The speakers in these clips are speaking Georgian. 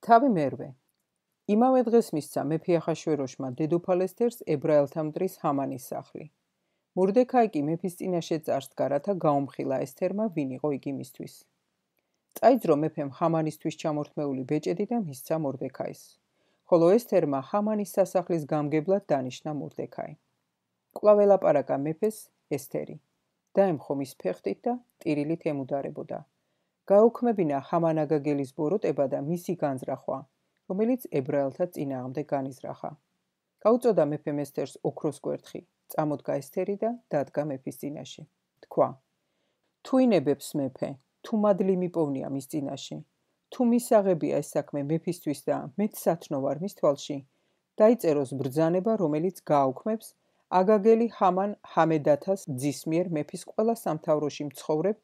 თავი მერვე. იმავე დღეს მისცა მეფე ახაშვეროშმა დედოფალ ესთერს ებრაელთა მტრის ჰამანის სახლი. მორდექაი კი მეფის წინაშე წარსდგა, რათა გაუმხილა ესთერმა ვინ იყო იგი მისთვის. წაიძრო მეფემ ჰამანისთვის ჩამორთმეული ბეჭედი და მისცა მორდექაის, ხოლო ესთერმა ჰამანის სასახლის გამგებლად დანიშნა მორდექაი. კვლავ ელაპარაკა მეფეს ესთერი, დაემხო მის ფეხტით და ტირილით ემუდარებოდა. გაუქმებინა ჰამანაგაგელის ბოროტება და მისი განზრახვა, რომელიც ებრაელთა წინააღმდეგ განიზრახა. გაუწოდა მეფემ ესთერს ოქროს კვერთხი, წამოდგა ესთერი და დადგა მეფის წინაშე. თქვა: თუ ინებებს მეფე, თუ მადლი მიპოვნია მის წინაშე, თუ მისაღებია ეს საქმე მეფისთვის და მეც სათნო ვარ მის თვალში, დაიწეროს ბრძანება, რომელიც გააუქმებს აგაგელი ჰამან ჰამედათას ძის მიერ მეფის ყველა სამთავროში მცხოვრებ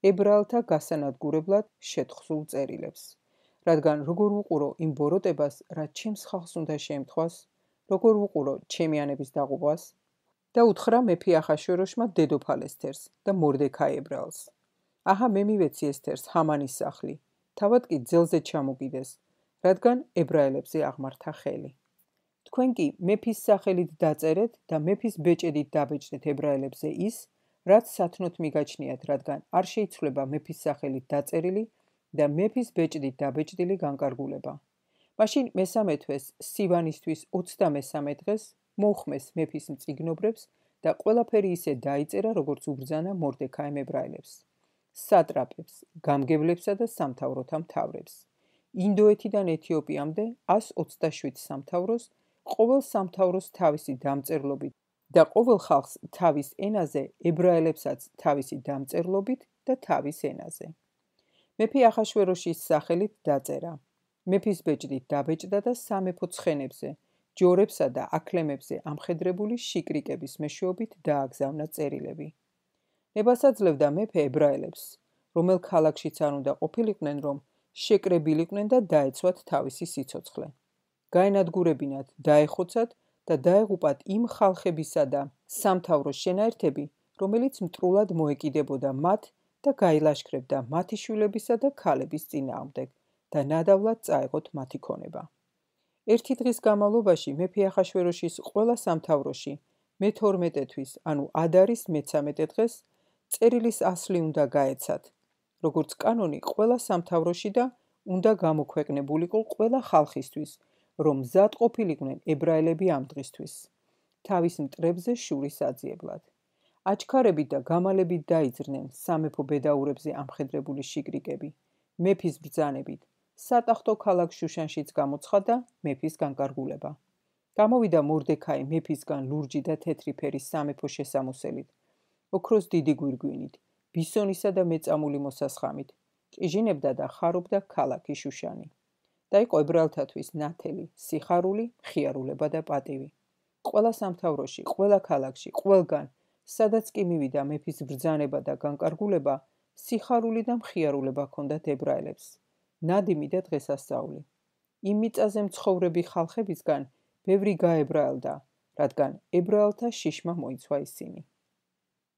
ებრაელთა გასანადგურებლად შეთხსულ წერილებს. რადგან როგორ ვუყურო იმ ბოროტებას, რაც ჩემს ხალხს უნდა შეემთხვას, როგორ ვუყურო ჩემი ანების დაღუპვას? და უთხრა მეფე ახაშვეროშმა დედოფალ ესთერს და მორდექაი ებრაელს: აჰა, მე მივეცი ესთერს ჰამანის სახლი, თავად კი ძელზე ჩამოგიდეს, რადგან ებრაელებზე აღმართა ხელი. თქვენ კი მეფის სახელით დაწერეთ და მეფის ბეჭედით დაბეჭდეთ ებრაელებზე ის, რაც სათნოთ მიგაჩნიათ, რადგან არ შეიცვლება მეფის სახელით დაწერილი და მეფის ბეჭდით დაბეჭდილი განკარგულება. მაშინ მესამე თვეს სივანისთვის 23 დღეს მოუხმეს მეფის მწიგნობრებს და ყველაფერი ისე დაიწერა, როგორც უბრძანა მორდექაიმ ებრაელებს, სატრაპებს, გამგებლებსა და სამთავროთა მთავრებს. ინდოეთიდან ეთიოპიამდე 127 სამთავროს, ყოველ სამთავროს თავისი დამწერლობით და ყოველ ხალხს თავის ენაზე, ებრაელებსაც თავისი დამწერლობით და თავის ენაზე. მეფე ახაშვეროშის სახელით დაწერა. მეფის ბეჭდით დაბეჭდა და სამეფო ცხენებზე, ჯორებსა და აქლემებზე ამხედრებული შიკრიკების მეშვეობით დააგზავნა წერილები. ებასაძლევდა მეფე ებრაელებს, რომელ ქალაქშიც არ უნდა ყოფილიყვნენ, რომ შეკრებილიყვნენ და დაეცვათ თავისი სიცოცხლე. გაენადგურებინათ, დაეხოცათ და დაეღუპათ იმ ხალხებისა და სამთავროს შენაერთები, რომელიც მტრულად მოეკიდებოდა მათ და გაილაშქრებდა მათი შვილებისა და ქალების წინააღმდეგ და ნადავლად წაეღოთ მათი ქონება. ერთი დღის განმავლობაში მეფე ახაშვეროშის ყველა სამთავროში მე-12 თვის, ანუ ადარის მე-13 დღეს წერილის ასლი უნდა გაეცათ, როგორც კანონი ყველა სამთავროში და უნდა გამოქვეყნებულიყო ყველა ხალხისთვის, რომ მზად ყოფილიყვნენ ებრაელები ამ დღისთვის, თავის მტრებზე შურის აძიებლად. აჩქარებით და გამალებით დაიძრნენ სამეფო ბედაურებზე ამხედრებული შიკრიკები, მეფის ბრძანებით. სატახტო ქალაქ შუშანშიც გამოცხადა მეფის განკარგულება. გამოვიდა მორდექაი მეფისგან ლურჯი და თეთრი ფერის სამეფო შესამოსელით, ოქროს დიდი გვირგვინით, ბისონისა და მეწამული მოსასხამით, ჭიჟინებდა და ხარობდა ქალაქი შუშანი. და იყო ებრაელთათვის ნათელი, სიხარული, მხიარულება და პატივი. ყველა სამთავროში, ყველა ქალაქში, ყველგან, სადაც კი მივიდა მეფის ბრძანება და განკარგულება, სიხარული და მხიარულება ჰქონდათ ებრაელებს. ნადიმი და დღესასწაული. იმ მიწაზე მცხოვრები ხალხებისგან ბევრი გაებრაელდა, რადგან ებრაელთა შიშმა მოიცვა ისინი.